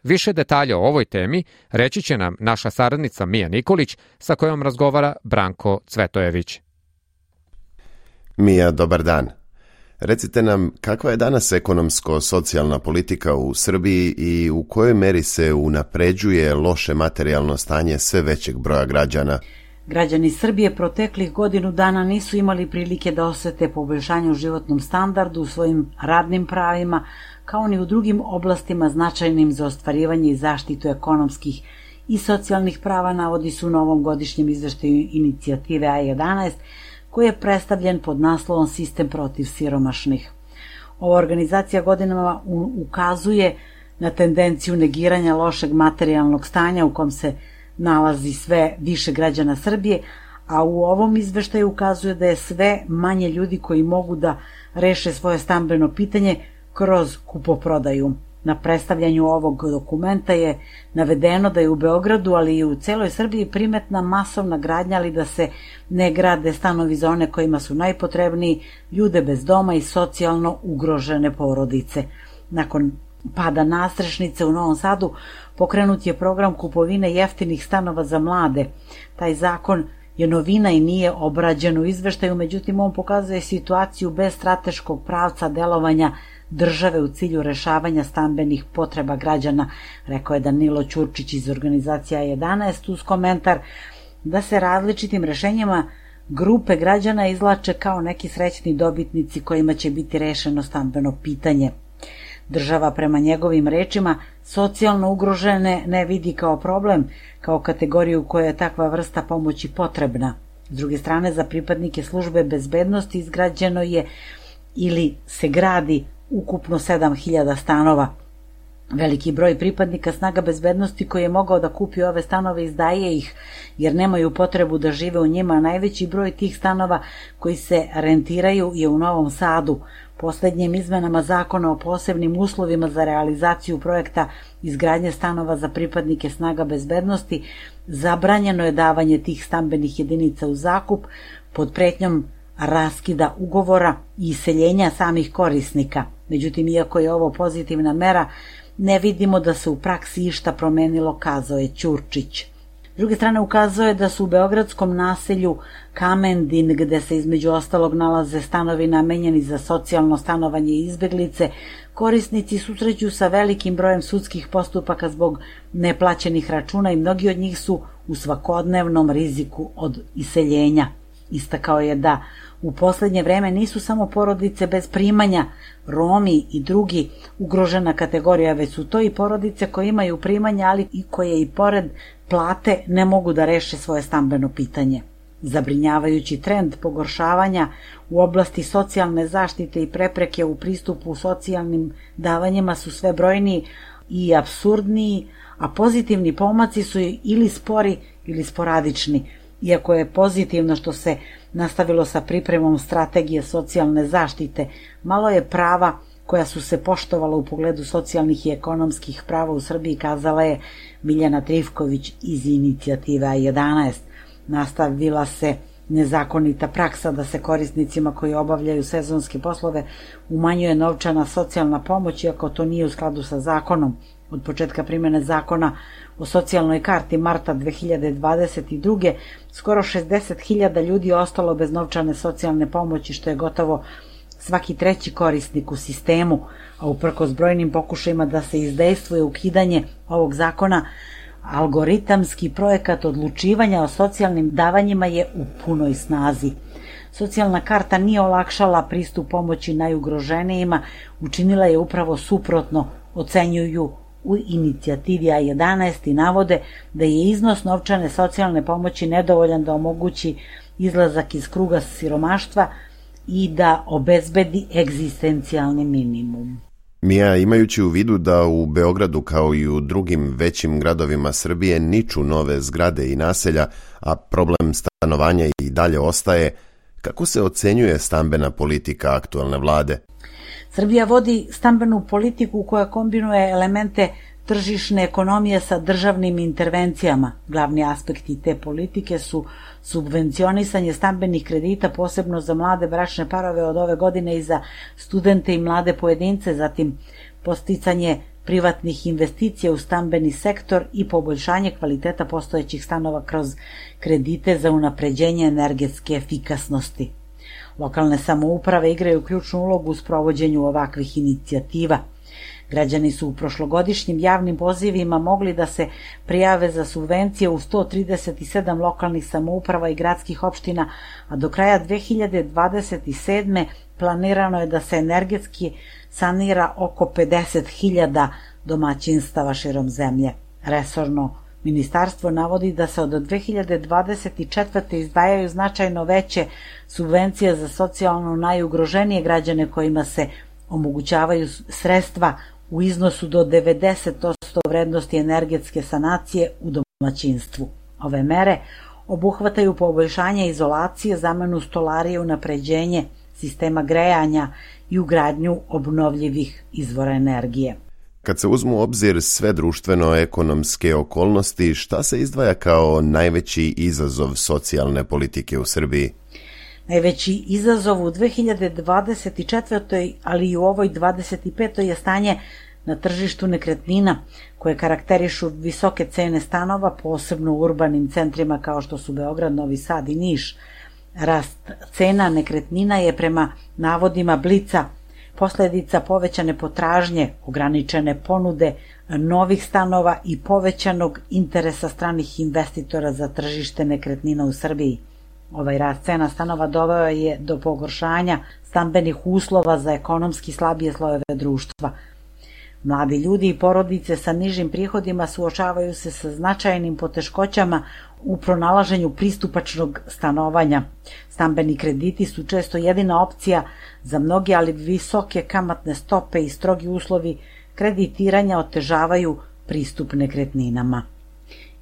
[SPEAKER 3] Više detalja o ovoj temi reći će nam naša saradnica Mija Nikolić, sa kojom razgovara Branko Cvetojević.
[SPEAKER 11] Mija, dobar dan. Recite nam, kakva je danas ekonomsko-socijalna politika u Srbiji i u kojoj meri se unapređuje loše materijalno stanje sve većeg broja građana?
[SPEAKER 14] Građani Srbije proteklih godinu dana nisu imali prilike da osete poboljšanje u životnom standardu, u svojim radnim pravima, kao ni u drugim oblastima značajnim za ostvarivanje i zaštitu ekonomskih i socijalnih prava, navodi su u novom godišnjem izveštaju Inicijative A jedanaest, koji je predstavljen pod naslovom Sistem protiv siromašnih. Ova organizacija godinama ukazuje na tendenciju negiranja lošeg materijalnog stanja u kom se nalazi sve više građana Srbije, a u ovom izveštaju ukazuje da je sve manje ljudi koji mogu da reše svoje stambeno pitanje kroz kupoprodaju. Na predstavljanju ovog dokumenta je navedeno da je u Beogradu, ali i u celoj Srbiji primetna masovna gradnja, ali da se ne grade stanovi za one kojima su najpotrebniji, ljude bez doma i socijalno ugrožene porodice. Nakon pada nastrešnice u Novom Sadu pokrenut je program kupovine jeftinih stanova za mlade. Taj zakon je novina i nije obrađen u izveštaju, međutim on pokazuje situaciju bez strateškog pravca delovanja države u cilju rešavanja stambenih potreba građana, rekao je Danilo Ćurčić iz organizacije A jedanaest uz komentar da se različitim rešenjima grupe građana izlače kao neki srećni dobitnici kojima će biti rešeno stambeno pitanje. Država, prema njegovim rečima, socijalno ugrožene ne vidi kao problem, kao kategoriju koja je takva vrsta pomoći potrebna. S druge strane, za pripadnike službe bezbednosti izgrađeno je ili se gradi ukupno sedam hiljada stanova. Veliki broj pripadnika snaga bezbednosti koji je mogao da kupi ove stanove izdaje ih, jer nemaju potrebu da žive u njima. Najveći broj tih stanova koji se rentiraju je u Novom Sadu. Poslednjim izmenama zakona o posebnim uslovima za realizaciju projekta izgradnje stanova za pripadnike snaga bezbednosti zabranjeno je davanje tih stambenih jedinica u zakup pod pretnjom raskida ugovora i iseljenja samih korisnika. Međutim, iako je ovo pozitivna mera, ne vidimo da se u praksi išta promenilo, kazao je Ćurčić. S druge strane, ukazuje da su u beogradskom naselju Kamendin, gde se između ostalog nalaze stanovi namenjeni za socijalno stanovanje i izbeglice, korisnici susreću sa velikim brojem sudskih postupaka zbog neplaćenih računa i mnogi od njih su u svakodnevnom riziku od iseljenja. Istakao je da u poslednje vreme nisu samo porodice bez primanja, Romi i drugi ugrožena kategorija, već su to i porodice koje imaju primanja, ali i koje i pored plate ne mogu da reše svoje stambeno pitanje. Zabrinjavajući trend pogoršavanja u oblasti socijalne zaštite i prepreke u pristupu socijalnim davanjima su sve brojniji i apsurdniji, a pozitivni pomaci su ili spori ili sporadični. Iako je pozitivno što se nastavilo sa pripremom strategije socijalne zaštite, malo je prava koja su se poštovala u pogledu socijalnih i ekonomskih prava u Srbiji, kazala je Miljana Trifković iz inicijative A jedanaest. Nastavila se nezakonita praksa da se korisnicima koji obavljaju sezonske poslove umanjuje novčana socijalna pomoć, iako to nije u skladu sa zakonom. Od početka primene zakona o socijalnoj karti marta dve hiljade dvadeset druge skoro šezdeset hiljada ljudi je ostalo bez novčane socijalne pomoći, što je gotovo svaki treći korisnik u sistemu, a uprkos brojnim pokušajima da se izdejstvuje ukidanje ovog zakona, algoritamski projekat odlučivanja o socijalnim davanjima je u punoj snazi. Socijalna karta nije olakšala pristup pomoći najugroženijima, učinila je upravo suprotno, ocenjuju u inicijativi A jedanaest i navode da je iznos novčane socijalne pomoći nedovoljan da omogući izlazak iz kruga siromaštva i da obezbedi egzistencijalni minimum.
[SPEAKER 11] Mija, imajući u vidu da u Beogradu kao i u drugim većim gradovima Srbije niču nove zgrade i naselja, a problem stanovanja i dalje ostaje, kako se ocenjuje stambena politika aktuelne vlade?
[SPEAKER 14] Srbija vodi stambenu politiku koja kombinuje elemente tržišne ekonomije sa državnim intervencijama. Glavni aspekti te politike su subvencionisanje stambenih kredita, posebno za mlade bračne parove od ove godine i za studente i mlade pojedince, zatim podsticanje privatnih investicija u stambeni sektor i poboljšanje kvaliteta postojećih stanova kroz kredite za unapređenje energetske efikasnosti. Lokalne samouprave igraju ključnu ulogu u sprovođenju ovakvih inicijativa. Građani su u prošlogodišnjim javnim pozivima mogli da se prijave za subvencije u sto trideset sedam lokalnih samouprava i gradskih opština, a do kraja dve hiljade dvadeset sedme planirano je da se energetski sanira oko pedeset hiljada domaćinstava širom zemlje. Resorno ministarstvo navodi da se od dve hiljade dvadeset četvrte izdvajaju značajno veće subvencije za socijalno najugroženije građane kojima se omogućavaju sredstva u iznosu do devedeset posto vrednosti energetske sanacije u domaćinstvu. Ove mere obuhvataju poboljšanje izolacije, zamenu stolarije i unapređenje sistema grejanja i ugradnju obnovljivih izvora energije.
[SPEAKER 11] Kad se uzmu u obzir sve društveno-ekonomske okolnosti, šta se izdvaja kao najveći izazov socijalne politike u Srbiji?
[SPEAKER 14] Najveći izazov u dve hiljade dvadeset četvrtoj ali i u ovoj dvadeset petoj je stanje na tržištu nekretnina, koje karakterišu visoke cene stanova, posebno u urbanim centrima kao što su Beograd, Novi Sad i Niš. Rast cena nekretnina je prema navodima Blica posledica povećane potražnje, ograničene ponude novih stanova i povećanog interesa stranih investitora za tržište nekretnina u Srbiji. Ovaj rast cena stanova doveo je do pogoršanja stambenih uslova za ekonomski slabije slojeve društva. Mladi ljudi i porodice sa nižim prihodima suočavaju se sa značajnim poteškoćama u pronalaženju pristupačnog stanovanja. Stambeni krediti su često jedina opcija za mnoge, ali visoke kamatne stope i strogi uslovi kreditiranja otežavaju pristup nekretninama.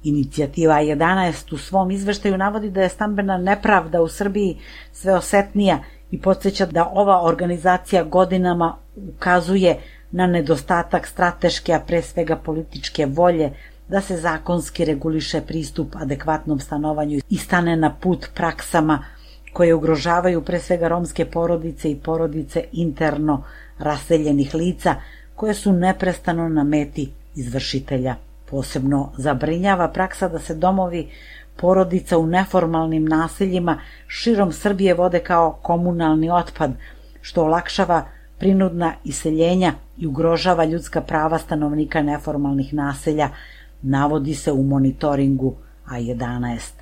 [SPEAKER 14] Inicijativa jedanaest u svom izveštaju navodi da je stambena nepravda u Srbiji sve osetnija i podsjeća da ova organizacija godinama ukazuje na nedostatak strateške, a pre svega političke volje da se zakonski reguliše pristup adekvatnom stanovanju i stane na put praksama koje ugrožavaju pre svega romske porodice i porodice interno raseljenih lica koje su neprestano na meti izvršitelja. Posebno zabrinjava praksa da se domovi porodica u neformalnim naseljima širom Srbije vode kao komunalni otpad, što olakšava prinudna iseljenja i ugrožava ljudska prava stanovnika neformalnih naselja, navodi se u monitoringu A jedanaest.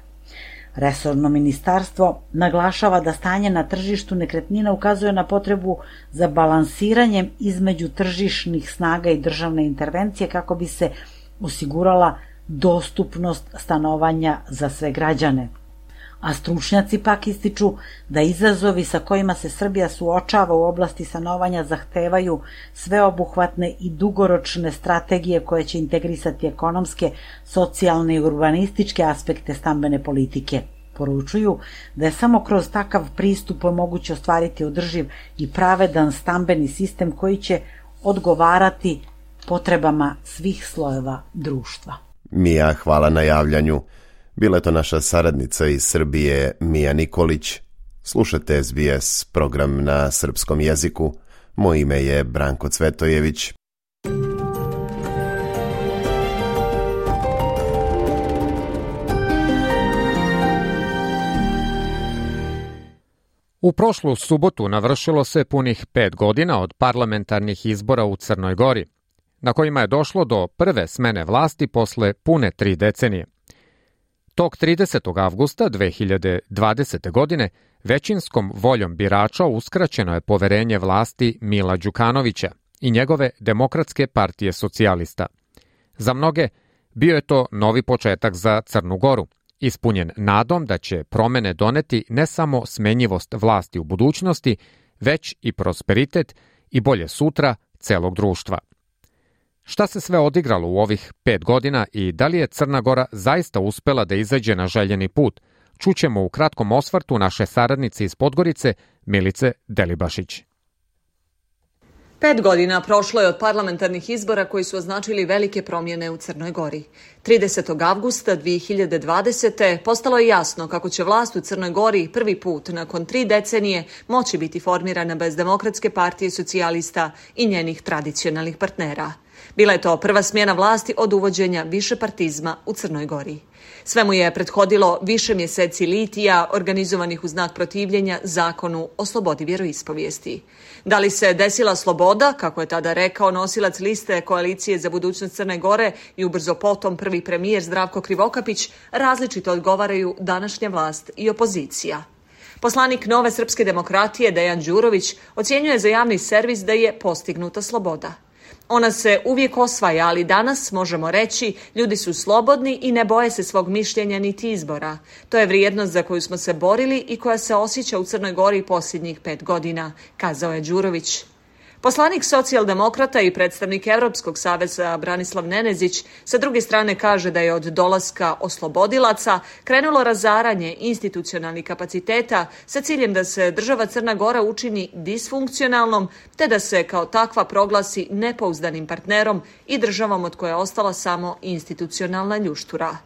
[SPEAKER 14] Resorno ministarstvo naglašava da stanje na tržištu nekretnina ukazuje na potrebu za balansiranjem između tržišnih snaga i državne intervencije kako bi se osigurala dostupnost stanovanja za sve građane. A stručnjaci pak ističu da izazovi sa kojima se Srbija suočava u oblasti stanovanja zahtevaju sveobuhvatne i dugoročne strategije koje će integrisati ekonomske, socijalne i urbanističke aspekte stambene politike. Poručuju da je samo kroz takav pristup moguće ostvariti održiv i pravedan stambeni sistem koji će odgovarati potrebama svih slojeva društva.
[SPEAKER 11] Mija, hvala na javljanju. Bila je to naša saradnica iz Srbije, Mija Nikolić. Slušate S B S, program na srpskom jeziku. Moje ime je Branko Cvetojević.
[SPEAKER 3] U prošlu subotu navršilo se punih pet godina od parlamentarnih izbora u Crnoj Gori, na kojima je došlo do prve smene vlasti posle pune tri decenije. Tog tridesetog avgusta dve hiljade dvadesete. godine većinskom voljom birača uskraćeno je poverenje vlasti Mila Đukanovića i njegove Demokratske partije socijalista. Za mnoge bio je to novi početak za Crnu Goru, ispunjen nadom da će promene doneti ne samo smenjivost vlasti u budućnosti, već i prosperitet i bolje sutra celog društva. Šta se sve odigralo u ovih pet godina i da li je Crna Gora zaista uspela da izađe na željeni put, čućemo u kratkom osvrtu naše saradnice iz Podgorice, Milice Delibašić.
[SPEAKER 15] Pet godina prošlo je od parlamentarnih izbora koji su označili velike promjene u Crnoj Gori. tridesetog avgusta dve hiljade dvadesete. postalo je jasno kako će vlast u Crnoj Gori prvi put nakon tri decenije moći biti formirana bez Demokratske partije socijalista i njenih tradicionalnih partnera. Bila je to prva smjena vlasti od uvođenja višepartizma u Crnoj Gori. Sve mu je prethodilo više mjeseci litija organizovanih u znak protivljenja zakonu o slobodi vjeroispovijesti. Da li se desila sloboda, kako je tada rekao nosilac liste Koalicije za budućnost Crne Gore i ubrzo potom prvi premijer Zdravko Krivokapić, različito odgovaraju današnja vlast i opozicija. Poslanik Nove srpske demokratije Dejan Đurović ocjenjuje za javni servis da je postignuta sloboda. Ona se uvijek osvaja, ali danas možemo reći ljudi su slobodni i ne boje se svog mišljenja niti izbora. To je vrijednost za koju smo se borili i koja se osjeća u Crnoj Gori posljednjih pet godina, kazao je Đurović. Poslanik socijaldemokrata i predstavnik Evropskog saveza Branislav Nenezić sa druge strane kaže da je od dolaska oslobodilaca krenulo razaranje institucionalnih kapaciteta sa ciljem da se država Crna Gora učini disfunkcionalnom te da se kao takva proglasi nepouzdanim partnerom i državom od koje je ostala samo institucionalna ljuštura.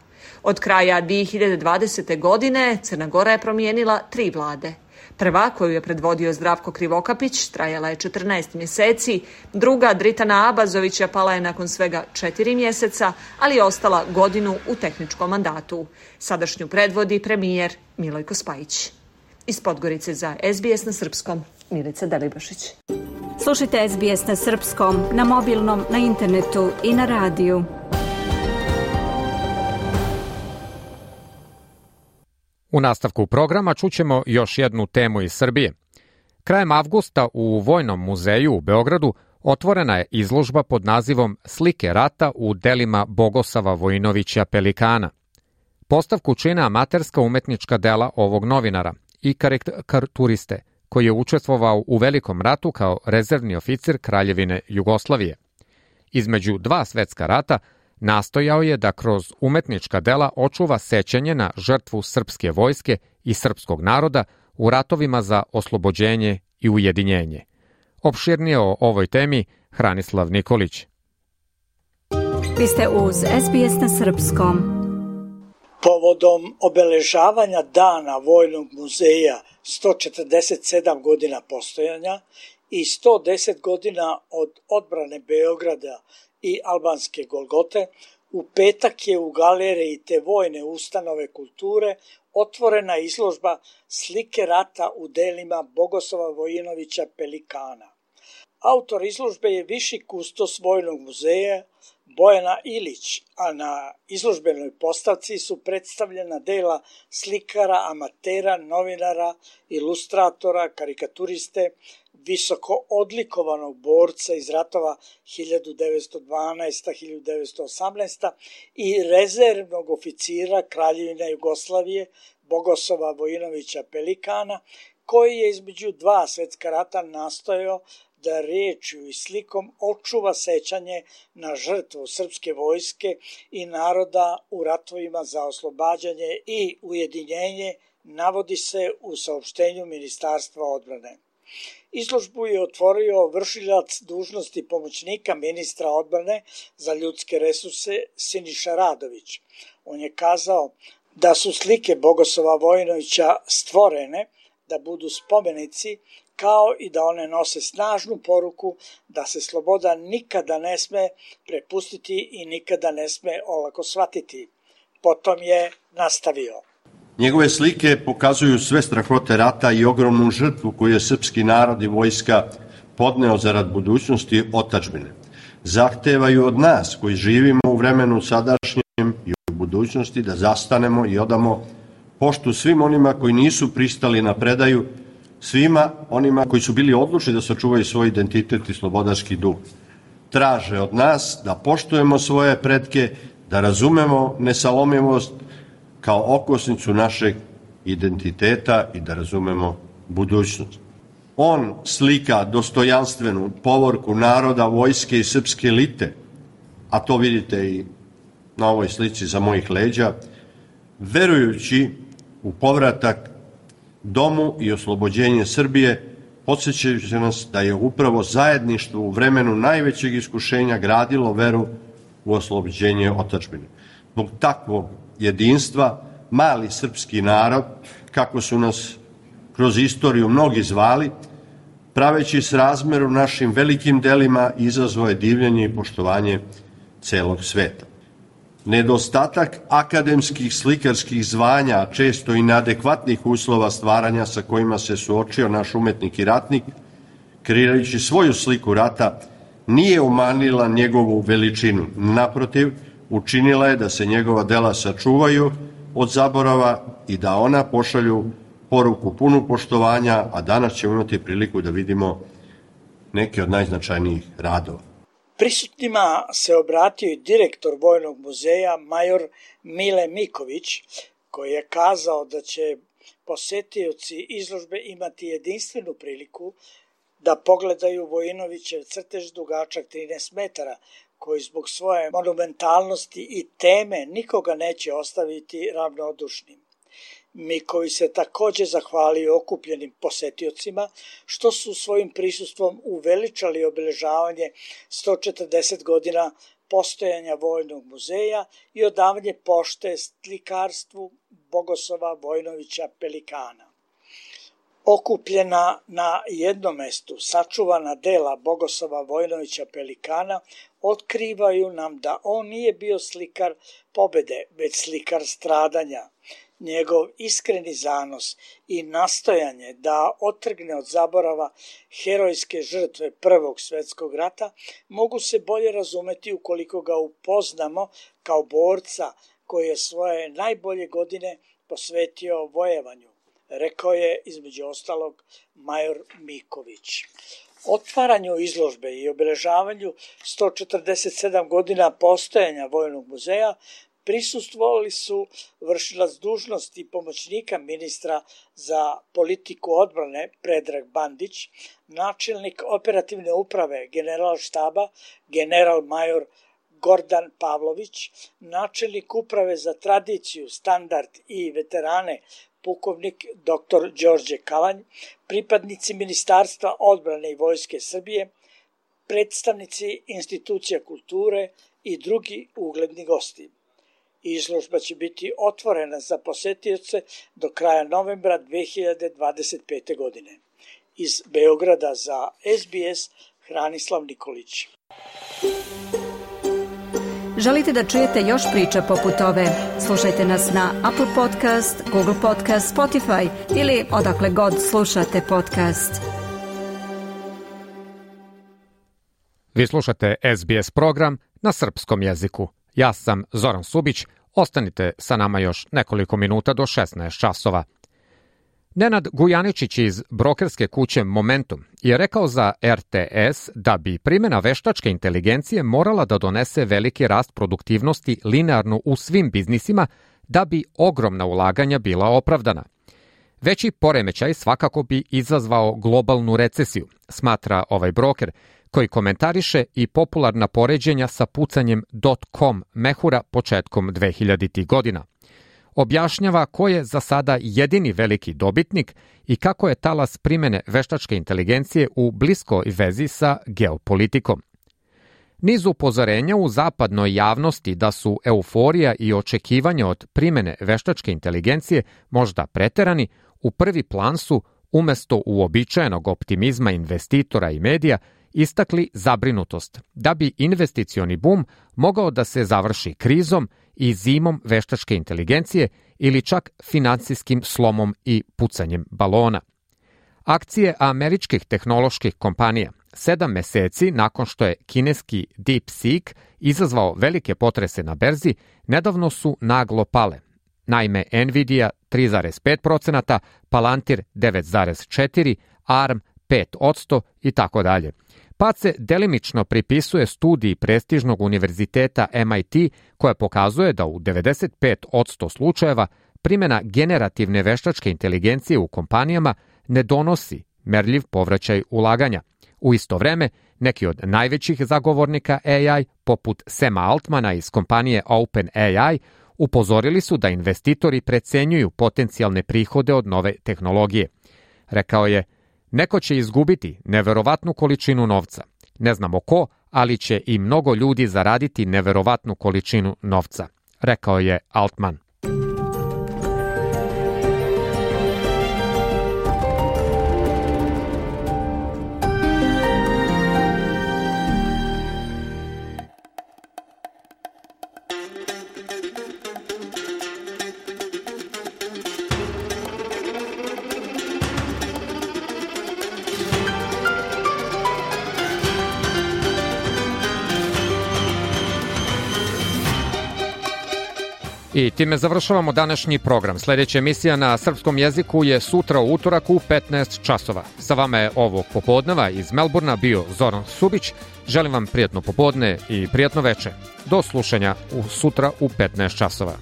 [SPEAKER 15] Od kraja dve hiljade dvadesete. godine Crna Gora je promijenila tri vlade. Prva, koju je predvodio Zdravko Krivokapić, trajala je četrnaest mjeseci, druga Dritana Abazovića pala je nakon svega četiri mjeseca, ali je ostala godinu u tehničkom mandatu. Sadašnju predvodi premijer Milojko Spajić. Iz Podgorice za S B S na srpskom, Milica Delibašić.
[SPEAKER 1] Slušajte S B S na srpskom, na mobilnom, na internetu i na radiju.
[SPEAKER 3] U nastavku programa čućemo još jednu temu iz Srbije. Krajem avgusta u Vojnom muzeju u Beogradu otvorena je izložba pod nazivom Slike rata u delima Bogosava Vojinovića Pelikana. Postavku čine amaterska umetnička dela ovog novinara i karikaturiste, koji je učestvovao u Velikom ratu kao rezervni oficir Kraljevine Jugoslavije. Između dva svetska rata nastojao je da kroz umetnička dela očuva sećanje na žrtvu srpske vojske i srpskog naroda u ratovima za oslobođenje i ujedinjenje. Opširnije o ovoj temi Hranislav Nikolić.
[SPEAKER 1] Vi ste uz S B S na srpskom.
[SPEAKER 16] Povodom obeležavanja Dana Vojnog muzeja sto četrdeset sedam godina postojanja i sto deset godina od odbrane Beograda i albanske Golgote, u petak je u galeriji te vojne ustanove kulture otvorena izložba Slike rata u delima Bogosava Vojinovića Pelikana. Autor izložbe je viši kustos Vojnog muzeja Bojana Ilić, a na izložbenoj postavci su predstavljena dela slikara, amatera, novinara, ilustratora, karikaturiste, visoko odlikovanog borca iz ratova hiljadu devetsto dvanaeste. do hiljadu devetsto osamnaeste. i rezervnog oficira Kraljevine Jugoslavije Bogosava Vojinovića Pelikana, koji je između dva svetska rata nastojao da riječju i slikom očuva sećanje na žrtvu srpske vojske i naroda u ratovima za oslobađanje i ujedinjenje, navodi se u saopštenju Ministarstva odbrane. Izložbu je otvorio vršilac dužnosti pomoćnika ministra odbrane za ljudske resurse Siniša Radović. On je kazao da su slike Bogosava Vojinovića stvorene da budu spomenici, kao i da one nose snažnu poruku da se sloboda nikada ne sme prepustiti i nikada ne sme olako shvatiti. Potom je nastavio.
[SPEAKER 17] Njegove slike pokazuju sve strahote rata i ogromnu žrtvu koju je srpski narod i vojska podneo zarad budućnosti otadžbine. Zahtevaju od nas koji živimo u vremenu sadašnjem i u budućnosti da zastanemo i odamo poštu svim onima koji nisu pristali na predaju, svima onima koji su bili odlučni da sačuvaju svoj identitet i slobodarski duh. Traže od nas da poštujemo svoje pretke, da razumemo nesalomivost kao okosnicu našeg identiteta i da razumemo budućnost. On slika dostojanstvenu povorku naroda, vojske i srpske elite, a to vidite i na ovoj slici za mojih leđa, verujući u povratak domu i oslobođenje Srbije, podsjećajući nas da je upravo zajedništvo u vremenu najvećeg iskušenja gradilo veru u oslobođenje otadžbine. Zbog takvog jedinstva, mali srpski narod, kako su nas kroz istoriju mnogi zvali, praveći srazmeru našim velikim delima, izazvao je divljenje i poštovanje celog sveta. Nedostatak akademskih slikarskih zvanja, a često i neadekvatnih uslova stvaranja sa kojima se suočio naš umetnik i ratnik, kreirajući svoju sliku rata, nije umanjila njegovu veličinu. Naprotiv, učinila je da se njegova dela sačuvaju od zaborava i da ona pošalju poruku punu poštovanja, a danas ćemo imati priliku da vidimo neke od najznačajnijih radova.
[SPEAKER 16] Prisutnima se obratio i direktor Vojnog muzeja, major Mile Miković, koji je kazao da će posetioci izložbe imati jedinstvenu priliku da pogledaju Vojinovićev crtež dugačak trinaest metara, koji zbog svoje monumentalnosti i teme nikoga neće ostaviti ravnodušnim. Miković se također zahvalio okupljenim posetiocima što su svojim prisustvom uveličali obeležavanje sto četrdeset godina postojanja Vojnog muzeja i odavanje pošte slikarstvu Bogoslava Vojnovića Pelikana. Okupljena na jednom mestu sačuvana dela Bogoslava Vojnovića Pelikana otkrivaju nam da on nije bio slikar pobede, već slikar stradanja. Njegov iskreni zanos i nastojanje da otrgne od zaborava herojske žrtve Prvog svjetskog rata mogu se bolje razumeti ukoliko ga upoznamo kao borca koji je svoje najbolje godine posvetio vojevanju, rekao je između ostalog major Miković. Otvaranju izložbe i obeležavanju sto četrdeset sedam godina postojanja Vojnog muzeja prisustvovali su vršilac dužnosti pomoćnika ministra za politiku odbrane Predrag Bandić, načelnik operativne uprave general štaba general major Gordan Pavlović, načelnik uprave za tradiciju, standard i veterane pukovnik doktor Đorđe Kalanj, pripadnici Ministarstva odbrane i Vojske Srbije, predstavnici institucija kulture i drugi ugledni gosti. Izložba će biti otvorena za posetioce do kraja novembra dve hiljade dvadeset pete. godine. Iz Beograda za S B S Hranislav Nikolić.
[SPEAKER 1] Želite da čujete još priča poput ove? Slušajte nas na Apple Podcast, Google Podcast, Spotify ili odakle god slušate podcast.
[SPEAKER 3] Vi slušate S B S program na srpskom jeziku. Ja sam Zoran Subić, ostanite sa nama još nekoliko minuta do šesnaest časova. Nenad Gujaničić iz brokerske kuće Momentum je rekao za R T S da bi primjena veštačke inteligencije morala da donese veliki rast produktivnosti linearno u svim biznisima da bi ogromna ulaganja bila opravdana. Veći poremećaj svakako bi izazvao globalnu recesiju, smatra ovaj broker, koji komentariše i popularna poređenja sa pucanjem dot-com mehura početkom dvehiljaditih godina. Objašnjava ko je za sada jedini veliki dobitnik i kako je talas primjene veštačke inteligencije u bliskoj vezi sa geopolitikom. Niz upozorenja u zapadnoj javnosti da su euforija i očekivanja od primjene veštačke inteligencije možda preterani, u prvi plan su, umesto uobičajenog optimizma investitora i medija, istakli zabrinutost da bi investicioni bum mogao da se završi krizom i zimom veštačke inteligencije ili čak financijskim slomom i pucanjem balona. Akcije američkih tehnoloških kompanija sedam meseci nakon što je kineski DeepSeek izazvao velike potrese na berzi, nedavno su naglo pale. Naime, Nvidia tri zarez pet posto, Palantir devet zarez četiri posto, A R M pet posto i tako dalje. Pad se delimično pripisuje studiji prestižnog univerziteta M I T koja pokazuje da u devedeset pet posto slučajeva primjena generativne veštačke inteligencije u kompanijama ne donosi merljiv povraćaj ulaganja. U isto vreme, neki od najvećih zagovornika A I, poput Sama Altmana iz kompanije OpenAI, upozorili su da investitori precenjuju potencijalne prihode od nove tehnologije. Rekao je, neko će izgubiti neverovatnu količinu novca. Ne znamo ko, ali će i mnogo ljudi zaraditi neverovatnu količinu novca, rekao je Altman. I time završavamo današnji program. Sljedeća emisija na srpskom jeziku je sutra u utorak u petnaest časova. Sa vama je ovog popodneva iz Melburna bio Zoran Subić. Želim vam prijatno popodne i prijatno veče. Do slušanja u sutra u petnaest časova.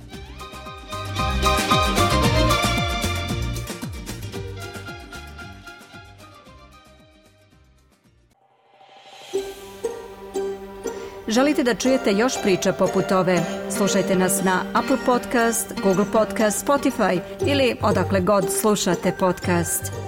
[SPEAKER 1] Želite da čujete još priča poput ove? Slušajte nas na Apple Podcast, Google Podcast, Spotify ili odakle god slušate podcast.